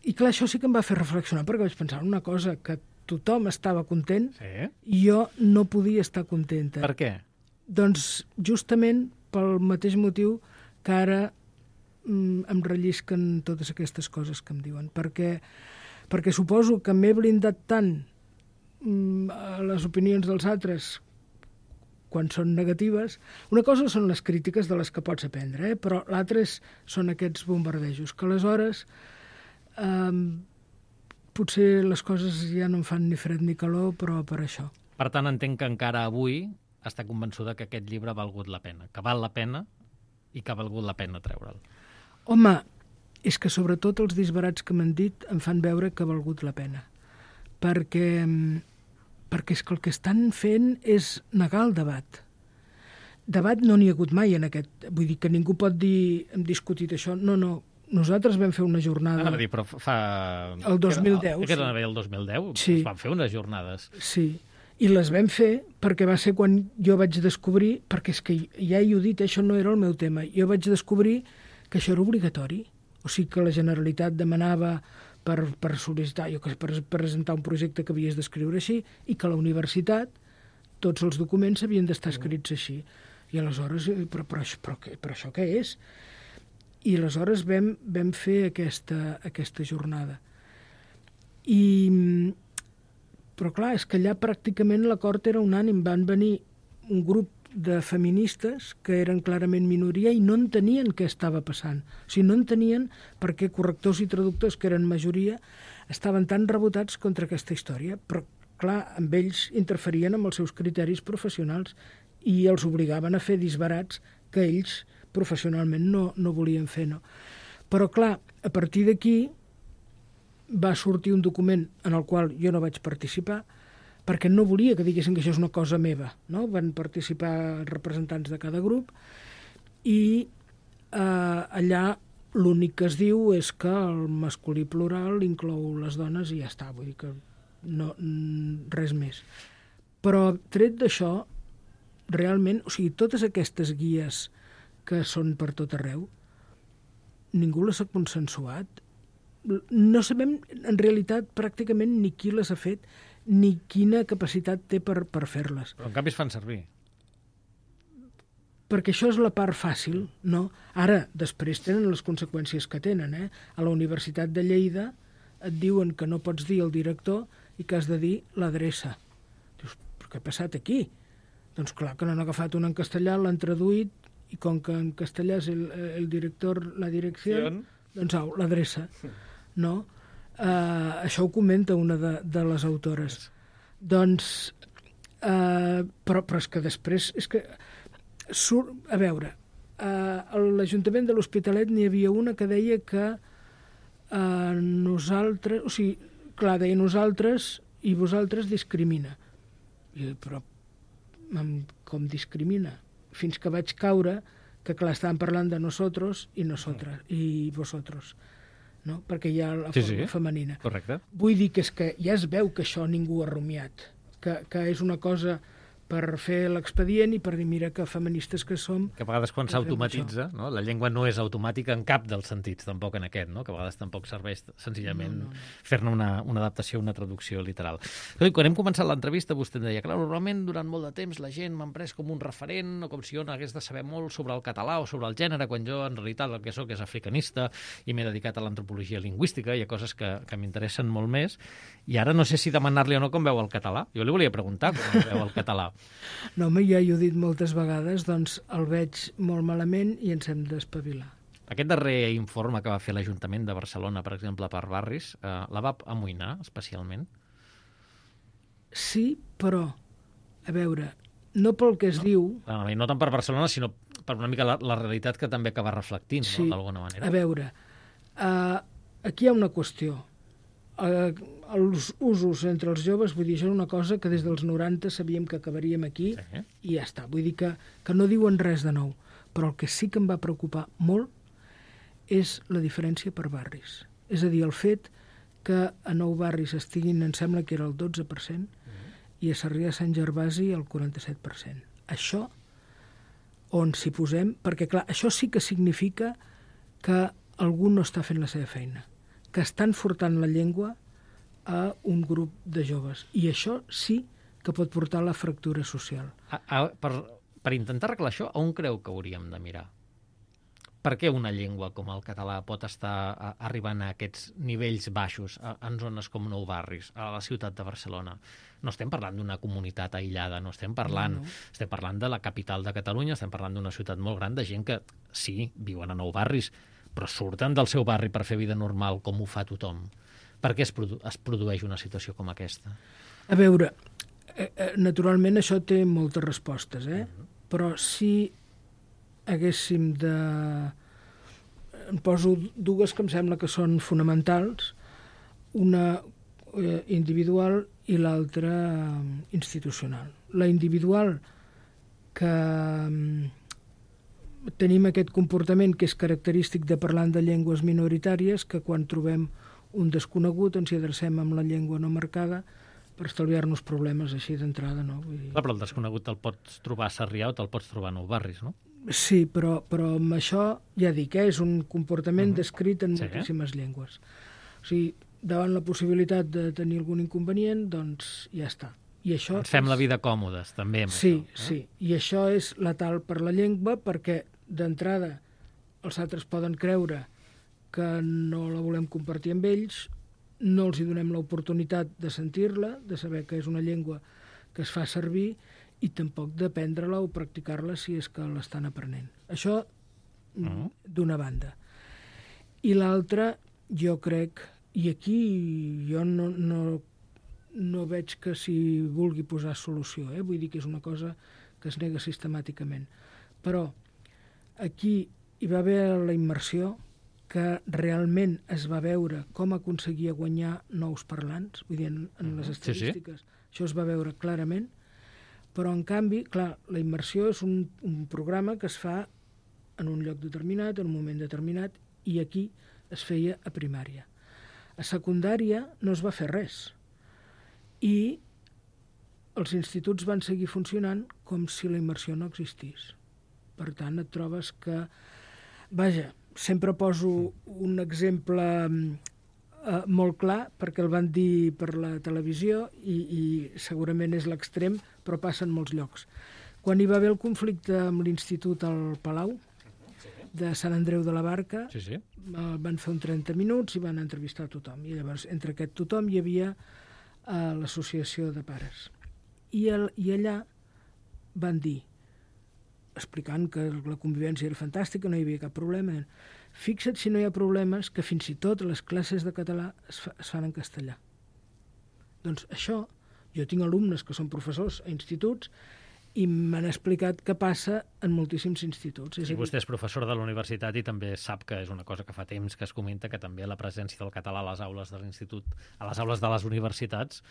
I clar, això sí que em va fer reflexionar, perquè vaig pensar una cosa, que tothom estava content i jo no podia estar contenta. Per què? Doncs justament pel mateix motiu que ara em rellisquen totes aquestes coses que em diuen, perquè suposo que m'he blindat tant a les opinions dels altres quan són negatives. Una cosa són les crítiques de les que pots aprendre, però l'altra són aquests bombardejos, que aleshores potser les coses ja no em fan ni fred ni calor, però per això. Per tant, entenc que encara avui està convençuda que aquest llibre ha valgut la pena, que val la pena i que ha valgut la pena treure'l. Home, és que sobretot els disbarats que m'han dit em fan veure que ha valgut la pena. Perquè és que el que estan fent és negar el debat. Debat no n'hi ha hagut mai en aquest... Vull dir que ningú pot dir hem discutit això. No, nosaltres vam fer una jornada... Anava a dir, però fa... El 2010, Que era el 2010? Sí. Es van fer unes jornades. Sí, i les vam fer perquè va ser quan jo vaig descobrir, perquè és que ja he dit, això no era el meu tema, jo vaig descobrir que això era obligatori, o sigui que la Generalitat demanava per sol·licitar, per presentar un projecte que havies d'escriure així, i que a la universitat tots els documents havien d'estar escrits així. I aleshores, però això què és? I aleshores vam fer aquesta jornada. Però clar, és que allà pràcticament l'acord era unànim. Van venir un grup de feministes que eren clarament minoria i no entenien què estava passant. O sigui, no entenien per què correctors i traductors, que eren majoria, estaven tan rebotats contra aquesta història. Però clar, amb ells interferien amb els seus criteris professionals i els obligaven a fer disbarats que ells professionalment no volien fer. No? Però clar, a partir d'aquí va sortir un document en el qual jo no vaig participar perquè no volia que diguessin que això és una cosa meva. No? Van participar representants de cada grup i allà l'únic que es diu és que el masculí plural inclou les dones i ja està, vull dir que no, res més. Però tret d'això, realment, o sigui, totes aquestes guies que són per tot arreu, ningú les ha consensuat. No sabem, en realitat, pràcticament ni qui les ha fet, ni quina capacitat té per fer-les. Però en canvi es fan servir. Perquè això és la part fàcil, no? Ara, després tenen les conseqüències que tenen, eh? A la Universitat de Lleida et diuen que no pots dir el director i que has de dir l'adreça. Dius, però què ha passat aquí? Doncs clar que n'han agafat una en castellà, l'han traduït, i com que en castellà és el director, la direcció, doncs l'adreça. No? Això ho comenta una de les autores. Doncs, però és que després, és que surt, a veure, a l'Ajuntament de l'Hospitalet n'hi havia una que deia que nosaltres, o sigui, clar, deia nosaltres i vosaltres discrimina. Però com discrimina? Fins que vaig caure que, clar, estaven parlant de nosotros i nosotres, i vosotros, no? Perquè hi ha la forma femenina. Correcte. Vull dir que és que ja es veu que això ningú ha rumiat, que és una cosa per fer l'expedient i per dir, mira, que feministes que som... Que a vegades quan s'automatitza, no? La llengua no és automàtica en cap dels sentits, tampoc en aquest, no? Que a vegades tampoc serveix senzillament fer-ne una adaptació, una traducció literal. Quan hem començat l'entrevista, vostè em deia, clar, normalment durant molt de temps la gent m'ha pres com un referent o com si jo n'hagués de saber molt sobre el català o sobre el gènere, quan jo en realitat el que soc és africanista i m'he dedicat a l'antropologia lingüística i a coses que m'interessen molt més. I ara no sé si demanar-li o no com veu el català. Jo li volia preguntar com veu el català. No, home, ja ho he dit moltes vegades, doncs el veig molt malament i ens hem d'espavilar. Aquest darrer informe que va fer l'Ajuntament de Barcelona, per exemple, per barris, la va amoïnar especialment? Sí, però, a veure, no pel que es diu... No tant per Barcelona, sinó per una mica la realitat que també acaba reflectint, sí, no? D'alguna manera. A veure, aquí hi ha una qüestió. Els usos entre els joves, vull dir, això és una cosa que des dels 90 sabíem que acabaríem aquí i ja està. Vull dir que no diuen res de nou. Però el que sí que em va preocupar molt és la diferència per barris. És a dir, el fet que a 9 barris estiguin, em sembla que era el 12%, i a Sarrià de Sant Gervasi el 47%. Això, on s'hi posem, perquè clar, això sí que significa que algú no està fent la seva feina, que estan furtant la llengua a un grup de joves. I això sí que pot portar a la fractura social. Per intentar arreglar això, on creu que hauríem de mirar? Per què una llengua com el català pot estar arribant a aquests nivells baixos en zones com Nou Barris, a la ciutat de Barcelona? No estem parlant d'una comunitat aïllada, no estem parlant... Estem parlant de la capital de Catalunya, estem parlant d'una ciutat molt gran de gent que, sí, viuen a Nou Barris, però surten del seu barri per fer vida normal com ho fa tothom. Per què es produeix una situació com aquesta? A veure, naturalment això té moltes respostes, però si haguéssim de... En poso dues que em sembla que són fonamentals, una individual i l'altra institucional. La individual, que tenim aquest comportament que és característic de parlant de llengües minoritàries, que quan trobem un desconegut ens hi adrecem amb la llengua no marcada per estalviar-nos problemes així d'entrada, no? Vull dir... Clar, però el desconegut te'l pots trobar a Sarrià o te'l pots trobar a Nou Barris, no? Sí, però amb això, ja dic, és un comportament descrit en moltíssimes llengües. O sigui, davant la possibilitat de tenir algun inconvenient, doncs ja està. I això ens fem la vida còmodes, també, amb sí, això. Sí, i això és letal per la llengua, perquè d'entrada els altres poden creure que no la volem compartir amb ells, no els hi donem l'oportunitat de sentir-la, de saber que és una llengua que es fa servir, i tampoc d'aprendre-la o practicar-la si és que l'estan aprenent. Això d'una banda. I l'altra, jo crec, i aquí jo no veig que s'hi vulgui posar solució, vull dir que és una cosa que es nega sistemàticament. Però aquí hi va haver la immersió, que realment es va veure com aconseguia guanyar nous parlants, vull dir, en les estadístiques, això es va veure clarament, però en canvi, clar, la immersió és un programa que es fa en un lloc determinat, en un moment determinat, i aquí es feia a primària. A secundària no es va fer res, i els instituts van seguir funcionant com si la immersió no existís. Per tant, et trobes que... Vaja, sempre poso un exemple molt clar, perquè el van dir per la televisió i segurament és l'extrem, però passa en molts llocs. Quan hi va haver el conflicte amb l'Institut al Palau, de Sant Andreu de la Barca, van fer un 30 minuts i van entrevistar tothom. I llavors, entre aquest tothom hi havia l'associació de pares. I allà van dir, explicant que la convivència era fantàstica, no hi havia cap problema. Fixa't si no hi ha problemes que fins i tot les classes de català es fan en castellà. Doncs això, jo tinc alumnes que són professors a instituts i m'han explicat que passa en moltíssims instituts. I vostè és professor de la universitat i també sap que és una cosa que fa temps que es comenta, que també la presència del català a les aules de l'institut, a les aules de les universitats,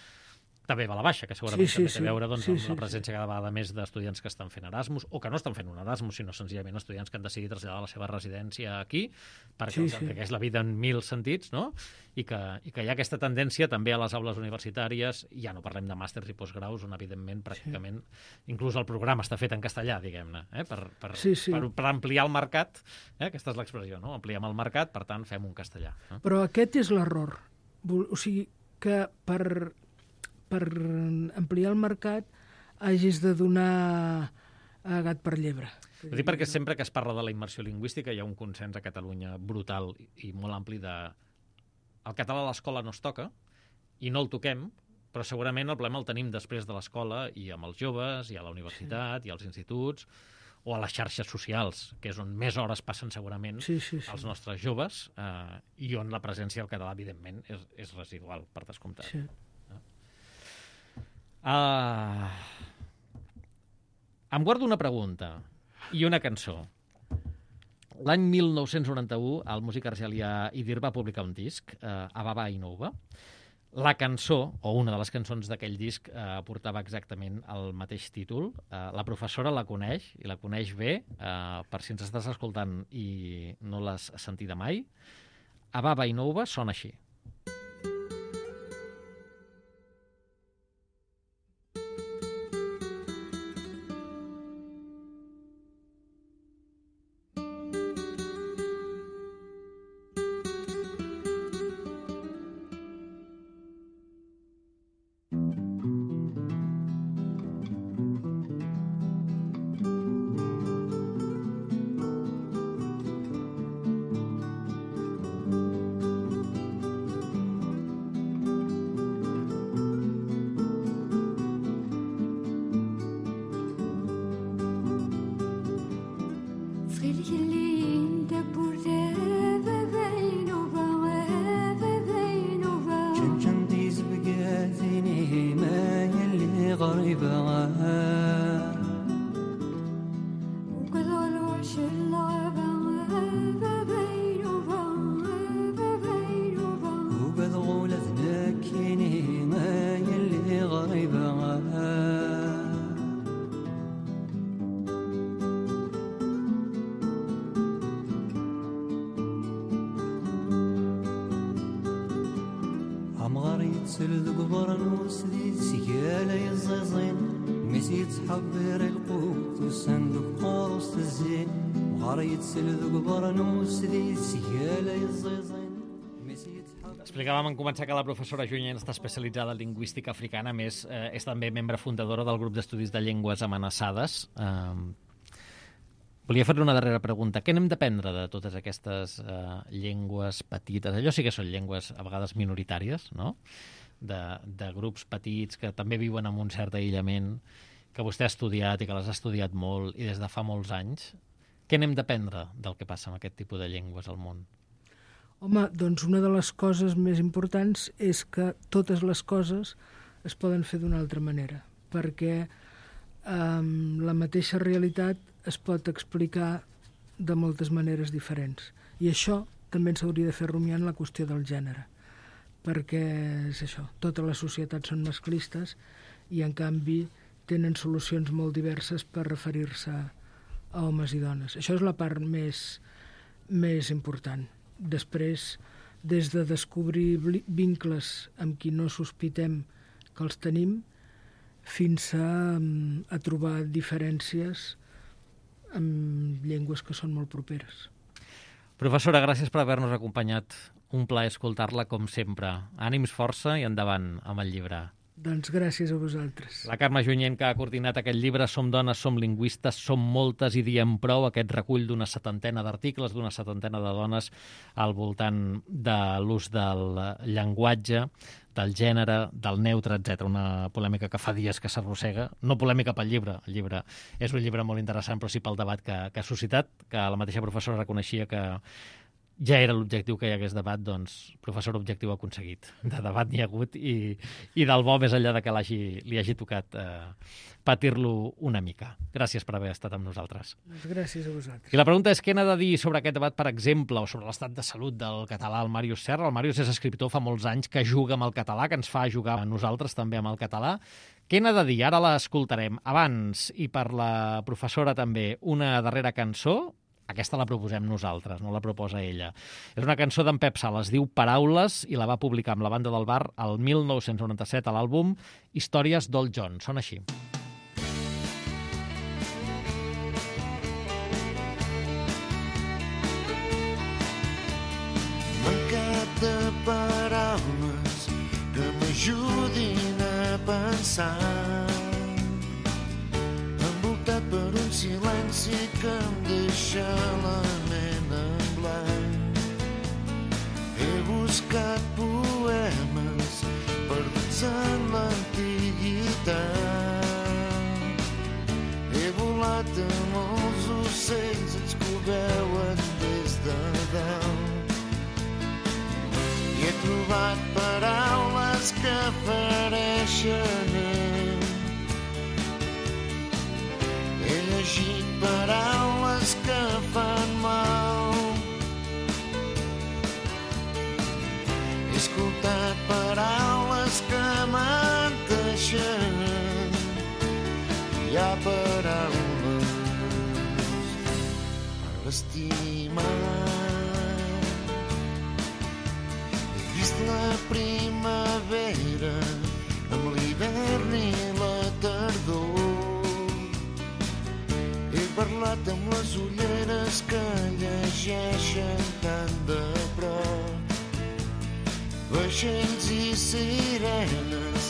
també va a la baixa, que segurament també té a veure amb la presència cada vegada més d'estudiants que estan fent Erasmus, o que no estan fent un Erasmus, sinó senzillament estudiants que han decidit traslladar la seva residència aquí, perquè els enriqueix la vida en 1000 sentits, no? I que hi ha aquesta tendència també a les aules universitàries, ja no parlem de màsters i postgraus, on evidentment pràcticament inclús el programa està fet en castellà, diguem-ne, per ampliar el mercat, aquesta és l'expressió, no? Ampliem el mercat, per tant fem un castellà. Però aquest és l'error. O sigui, que per ampliar el mercat hagis de donar gat per llebre. Ho dic perquè sempre que es parla de la immersió lingüística hi ha un consens a Catalunya brutal i molt ampli de el català a l'escola no es toca i no el toquem, però segurament el problema el tenim després de l'escola i amb els joves, i a la universitat, i als instituts, o a les xarxes socials, que és on més hores passen segurament els nostres joves, i on la presència del català, evidentment, és residual, per descomptat. Sí. Em guardo una pregunta i una cançó. L'any 1991, el músic argelià Idir va publicar un disc, Ababa i Nouba. La cançó, o una de les cançons d'aquell disc, portava exactament el mateix títol. La professora la coneix, i la coneix bé, per si ens estàs escoltant i no l'has sentida mai. Ababa i Nouba sona així. تسلد قبرن وسديد سيالة يزيزين مسيت حبير القوت والصندوق قارص الزين وغاري تسلد قبرن وسديد سيالة يزيزين. Explicàvem en començar que la professora Junyent està especialitzada en lingüística africana, a més és també membre fundadora del grup d'estudis de llengües amenaçades. Volia fer-li una darrera pregunta. Què n'hem d'aprendre de totes aquestes llengües petites? Allò sí que són llengües a vegades minoritàries, no? De grups petits que també viuen en un cert aïllament, que vostè ha estudiat i que les ha estudiat molt i des de fa molts anys. Què n'hem d'aprendre del que passa amb aquest tipus de llengües al món? Home, doncs una de les coses més importants és que totes les coses es poden fer d'una altra manera, perquè la mateixa realitat es pot explicar de moltes maneres diferents. I això també ens hauria de fer rumiar en la qüestió del gènere, perquè és això, totes les societats són masclistes i en canvi tenen solucions molt diverses per referir-se a homes i dones. Això és la part més important. Després, des de descobrir vincles amb qui no sospitem que els tenim, fins a trobar diferències amb llengües que són molt properes. Professora, gràcies per haver-nos acompanyat. Un plaer escoltar-la, com sempre. Ànims, força i endavant amb el llibre. Doncs gràcies a vosaltres. La Carme Junyent, que ha coordinat aquest llibre Som dones, som lingüistes, som moltes i diem prou, aquest recull d'una 70 d'articles, d'una 70 de dones al voltant de l'ús del llenguatge, del gènere, del neutre, etc. Una polèmica que fa dies que s'arrossega. No polèmica pel llibre, el llibre és un llibre molt interessant, però sí pel debat que ha suscitat, que la mateixa professora reconeixia que ja era l'objectiu que hi hagués debat, doncs, professor, objectiu aconseguit. De debat n'hi ha hagut i del bo, més enllà de que li hagi tocat patir-lo una mica. Gràcies per haver estat amb nosaltres. Gràcies a vosaltres. I la pregunta és què n'ha de dir sobre aquest debat, per exemple, o sobre l'estat de salut del català el Màrius Serra. El Màrius és escriptor fa molts anys que juga amb el català, que ens fa jugar a nosaltres també amb el català. Què n'ha de dir? Ara l'escoltarem. Abans, i per la professora també, una darrera cançó. Aquesta la proposem nosaltres, no la proposa ella. És una cançó d'en Pep Sala, es diu Paraules, i la va publicar amb la Banda del Bar el 1997 a l'àlbum Històries d'Old John. Sona així. Mancat de paraules que m'ajudin a pensar, envoltat per un silenci que em deixa la ment en blanc. He buscat poemes perduts en l'antiguitat. He volat amb els ocells, ells que ho veuen des de dalt. I he trobat paraules que fereixen. He llegit paraules que fan mal. He escoltat paraules que menteixen. Hi ha paraules per estimar. He vist la primavera amb l'hivern i la tardor. He parlat amb les ulleres que llegeixen tan de prop. Vaixells i sirenes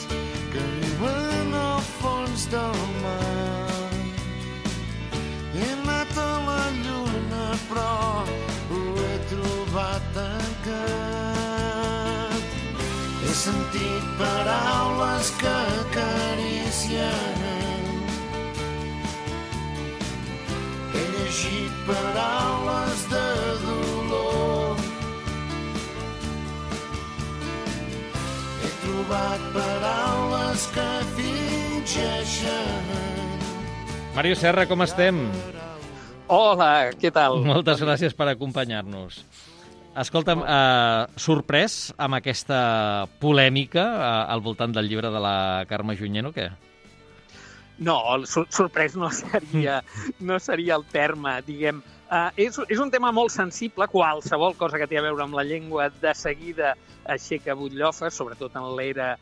que viuen al fons del mar. He anat a la lluna però ho he trobat tancat. He sentit paraules que acaricien. He llegit paraules de dolor. He trobat paraules que fingeixen. Màrius Serra, com estem? Hola, què tal? Moltes gràcies per acompanyar-nos. Escolta'm, sorprès amb aquesta polèmica al voltant del llibre de la Carme Junyent o què? No, sorprès no seria el terme, diguem. És un tema molt sensible, qualsevol cosa que té a veure amb la llengua de seguida aixeca butllofes, sobretot en l'era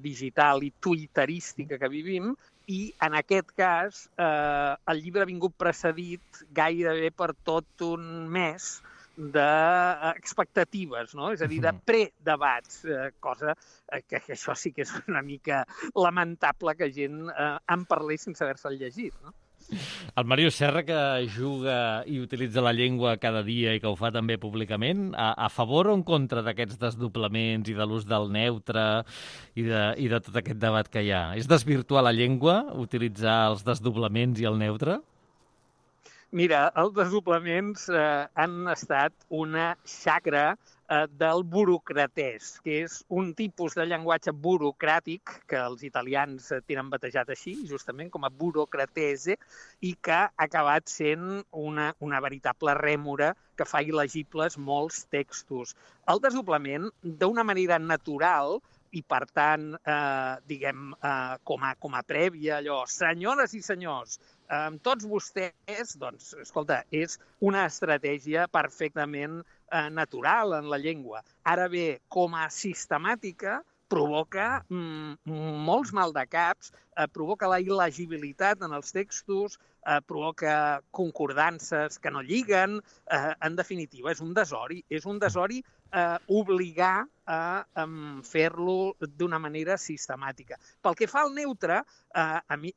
digital i twitterística que vivim, i en aquest cas el llibre ha vingut precedit gairebé per tot un mes d'expectatives, no? És a dir, de predebats, cosa que això sí que és una mica lamentable que gent en parlés sense haver-se'l llegit, no? El Màrius Serra, que juga i utilitza la llengua cada dia i que ho fa també públicament, a favor o en contra d'aquests desdoblaments i de l'ús del neutre i de tot aquest debat que hi ha? És desvirtuar la llengua, utilitzar els desdoblaments i el neutre? Mira, els desdoblaments han estat una xacra del burocratès, que és un tipus de llenguatge burocràtic que els italians tenen batejat així, justament com a burocratese, i que ha acabat sent una veritable rèmora que fa il·legibles molts textos. El desdoblament, d'una manera natural, i per tant, diguem, com a prèvia, allò, senyores i senyors, amb tots vostès, doncs, escolta, és una estratègia perfectament natural en la llengua. Ara bé, com a sistemàtica, provoca molts maldecaps, provoca la il·legibilitat en els textos, provoca concordances que no lliguen. En definitiva, és un desori obligar a fer-lo d'una manera sistemàtica. Pel que fa al neutre, a mi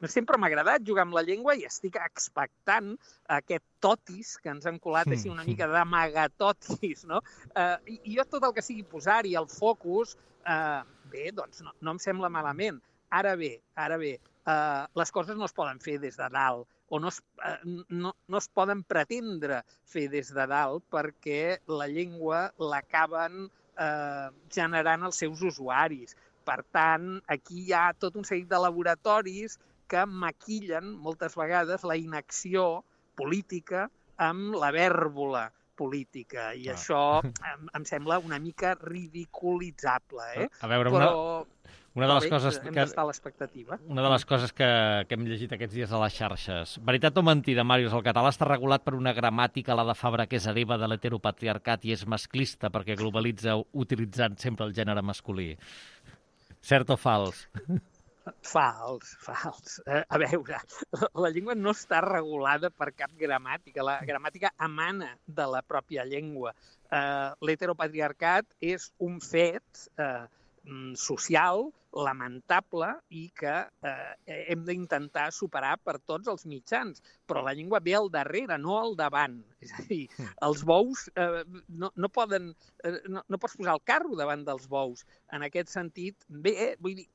sempre m'ha agradat jugar amb la llengua i estic expectant aquest totis que ens han colat així una mica d'amagatotis, no? I jo tot el que sigui posar-hi el focus, bé, doncs no em sembla malament. Ara bé, les coses no es poden fer des de dalt, o no es poden pretendre fer des de dalt perquè la llengua l'acaben generant els seus usuaris. Per tant, aquí hi ha tot un seguit de laboratoris que maquillen moltes vegades la inacció política amb la vèrbola política, i això em sembla una mica ridiculitzable. A veure, una de les coses hem d'estar a l'expectativa. Una de les coses que hem llegit aquests dies a les xarxes. Veritat o mentida, Màrius? El català està regulat per una gramàtica, la de Fabra, que és hereva de l'heteropatriarcat i és masclista perquè globalitza utilitzant sempre el gènere masculí. Cert o fals? Fals. A veure, la llengua no està regulada per cap gramàtica. La gramàtica emana de la pròpia llengua. L'heteropatriarcat és un fet social lamentable i que hem d'intentar superar per tots els mitjans. Però la llengua ve al darrere, no al davant. És a dir, els bous no pots posar el carro davant dels bous. En aquest sentit, bé, vull dir,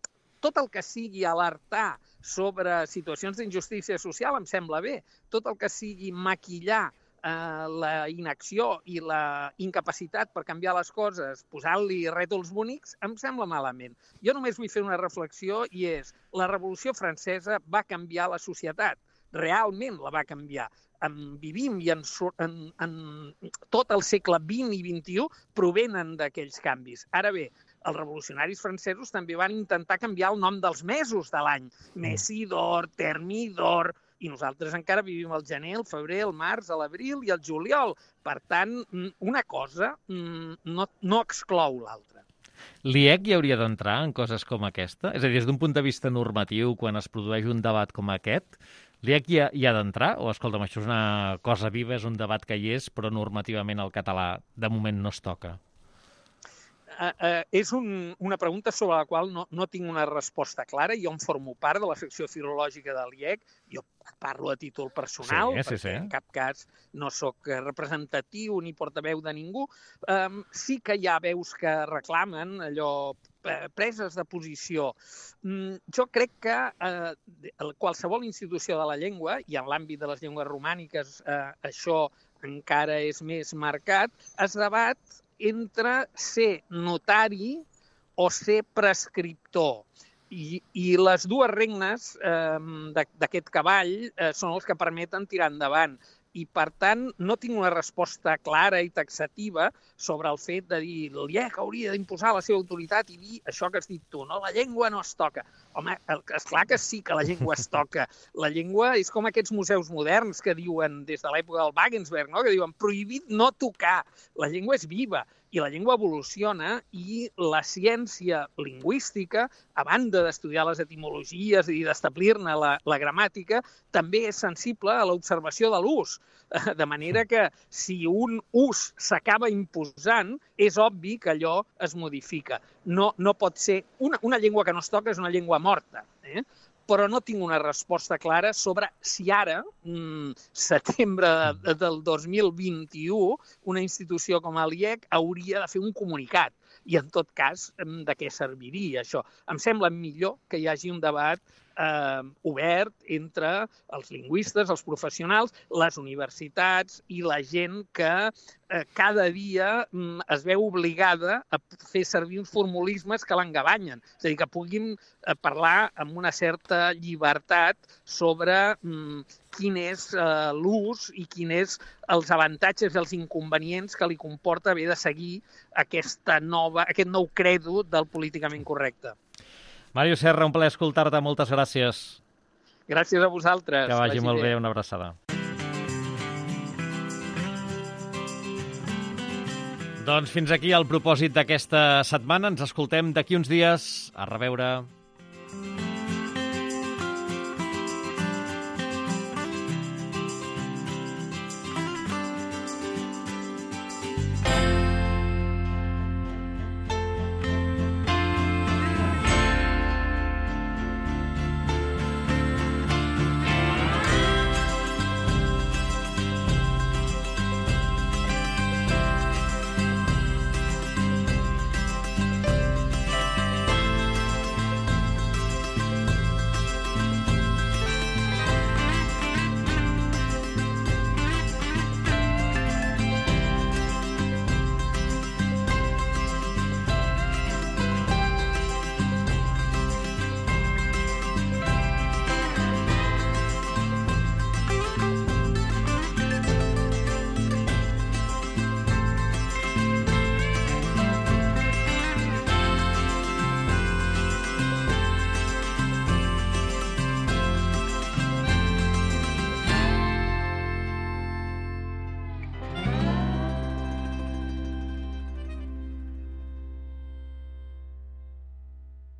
tot el que sigui alertar sobre situacions d'injustícia social em sembla bé. Tot el que sigui maquillar la inacció i la incapacitat per canviar les coses, posant-li rètols bonics, em sembla malament. Jo només vull fer una reflexió i és: la Revolució Francesa va canviar la societat. Realment la va canviar. Vivim i en tot el segle XX i XXI provenen d'aquells canvis. Ara bé, els revolucionaris francesos també van intentar canviar el nom dels mesos de l'any. Messidor, Thermidor, i nosaltres encara vivim el gener, el febrer, el març, l'abril i el juliol. Per tant, una cosa no exclou l'altra. L'IEC hi hauria d'entrar en coses com aquesta? És a dir, des d'un punt de vista normatiu, quan es produeix un debat com aquest, l'IEC hi ha d'entrar? O, escolta'm, això és una cosa viva, és un debat que hi és, però normativament el català de moment no es toca? És una pregunta sobre la qual no tinc una resposta clara. Jo en formo part de la secció filològica de l'IEC. Jo parlo a títol personal, perquè en cap cas no sóc representatiu ni portaveu de ningú. Sí que hi ha veus que reclamen allò, preses de posició. Jo crec que qualsevol institució de la llengua, i en l'àmbit de les llengües romàniques això encara és més marcat, es debat entre ser notari o ser prescriptor. I les dues regnes d'aquest cavall són els que permeten tirar endavant. I, per tant, no tinc una resposta clara i taxativa sobre el fet de dir l'IEC hauria d'imposar la seva autoritat i dir això que has dit tu, no? La llengua no es toca. Home, esclar que sí que la llengua es toca. La llengua és com aquests museus moderns que diuen, des de l'època del Wagensberg, no? Que diuen prohibit no tocar. La llengua és viva i la llengua evoluciona i la ciència lingüística, a banda d'estudiar les etimologies i d'establir-ne la gramàtica, també és sensible a l'observació de l'ús. De manera que si un ús s'acaba imposant, és obvi que allò es modifica. No pot ser... Una llengua que no es toca és una llengua morta, però no tinc una resposta clara sobre si ara, setembre del 2021, una institució com l'IEC hauria de fer un comunicat. I, en tot cas, de què serviria això? Em sembla millor que hi hagi un debat obert entre els lingüistes, els professionals, les universitats i la gent que cada dia es veu obligada a fer servir uns formulismes que l'engabanyen. És a dir, que puguin parlar amb una certa llibertat sobre quin és l'ús i quins és els avantatges i els inconvenients que li comporta haver de seguir aquest nou credo del políticament correcte. Màrius Serra, un plaer escoltar-te. Moltes gràcies. Gràcies a vosaltres. Que vagi molt bé. Una abraçada. Doncs fins aquí el propòsit d'aquesta setmana. Ens escoltem d'aquí uns dies. A reveure.